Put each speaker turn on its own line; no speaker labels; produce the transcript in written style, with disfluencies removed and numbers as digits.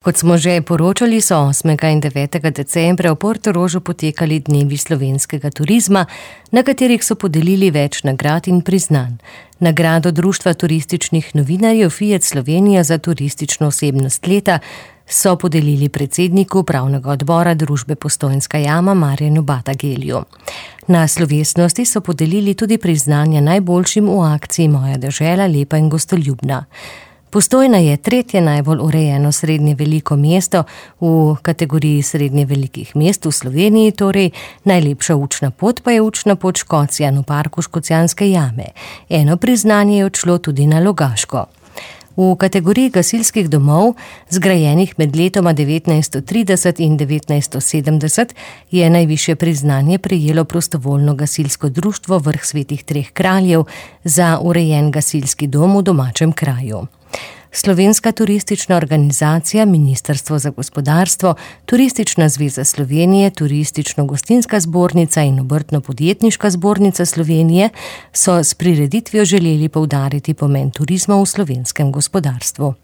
Kot smo že poročali, so 8. in 9. decembra v Portorožu potekali dnevi slovenskega turizma, na katerih so podelili več nagrad in priznanj. Nagrado Društva turističnih novinarjev Fiat Slovenija za turistično osebnost leta so podelili predsedniku upravnega odbora družbe Postojnska jama Marjanu Batagelju. Na slovesnosti so podelili tudi priznanja najboljšim v akciji Moja dežela, lepa in gostoljubna. Postojna je tretje najbolj urejeno srednje veliko mesto v kategoriji srednje velikih mest v Sloveniji, torej najlepša učna pot pa je učna pot Škocjan v parku Škocjanske jame. Eno priznanje je odšlo tudi na Logaško. V kategoriji gasilskih domov, zgrajenih med letoma 1930 in 1970, je najvišje priznanje prejelo prostovoljno gasilsko društvo Vrh svetih treh kraljev za urejen gasilski dom v domačem kraju. Slovenska turistična organizacija, Ministrstvo za gospodarstvo, Turistična zveza Slovenije, Turistično-gostinska zbornica in Obrtno-podjetniška zbornica Slovenije so s prireditvijo želeli poudariti pomen turizma v slovenskem gospodarstvu.